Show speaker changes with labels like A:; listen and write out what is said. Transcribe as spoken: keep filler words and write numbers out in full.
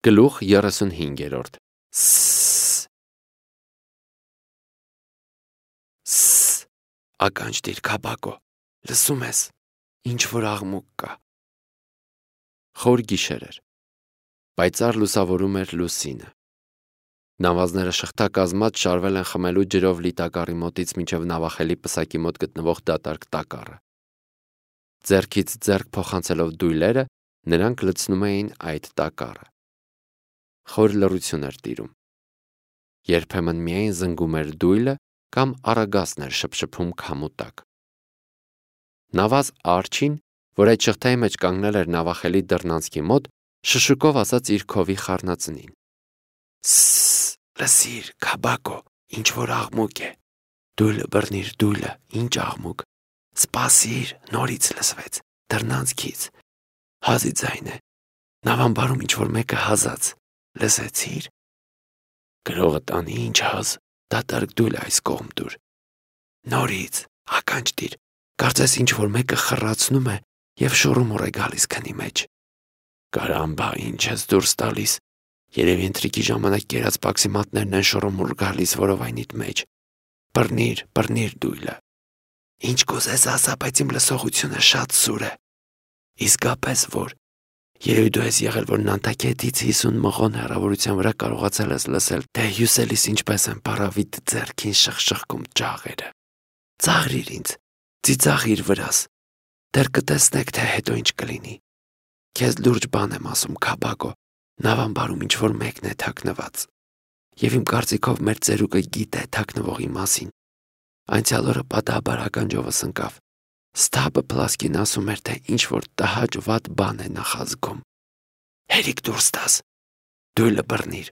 A: Գլուխ երեսունհինգերորդ Սսս Սսս Ականջ դիր Քաբագո, լսում ես, ինչ-որ աղմուկ կա։ Խոր գիշեր էր, պայծառ լուսավորում էր լուսինը։ Նավազները շղթակազմած շարվել են խմելու ջրով լի տակառի մոտից մինչև նավախելի պսակի մոտ գտնվող դատարկ տակառը։ Ձեռքից ձեռք փոխանցելով դույլերը, նրանք լցնում էին այդ տակառը։ Խոր լռություն էր տիրում։ Երբեմն միայն զնգում էր դույլը կամ առագասն էր շփշփում քամու տակ։ Նավազ Արջին, որ այդ շղթայի մեջ կանգնել էր նավախելի դռնանցքի մոտ, շշուկով ասաց իր քովի խառնածնին. Սսս, լսիր, Քաբագո, ինչ-որ աղմուկ է։ Դույլը բռնիր, դույլը, ինչ աղմուկ։ Սպասիր, նորից լսվեց, դռնանցքից։ Հազի ձայն է։ Նավամբարում ինչ-որ մեկը հազաց, լսեցիր։ Գրողը տանի ինչ հազ, դատարկ դույլը այս կողմ դուր։ Նորից, ականջ դիր, կարծես ինչ-որ մեկը խռացնում է և շոռումուռ է գալիս քնի մեջ։ Կարամբա, ինչ ես դուրս տալիս, երևի ընթրիքի ժամանակ կերած պաքսիմատներն են շոռումուռ գալիս որովայնիդ մեջ։ Բռնիր, բռնիր դույլը։ Ինչ կուզես ասա, բայց իմ լսողությունը շատ սուր է։ Իսկապես որ, երևի դու ես եղել, որ Նանտակետից հիսուն մղոն հեռավորության վրա կարողացել ես լսել, թե հյուսելիս ինչպես են փարավիտ ձեռքին շխշխկում ջաղերը։ Ծաղրիր ինձ, ծիծաղիր վրաս, դեռ կտեսնեք, թե հետո ինչ կլինի։ Քեզ լուրջ բան եմ ասում, Քաբագո, նավամբարում ինչ-որ մեկն է թաքնված։ Եվ իմ կարծիքով մեր ծերուկը գիտե թաքնվողի մասին։ Անցյալ օրը պատահաբար ականջովս ընկավ։ Ստաբը Պլասկին ասում էր, թե ինչ-որ տհաճ վատ բան է նախազգում։ Հերիք դուրս տաս, դույլը բռնիր,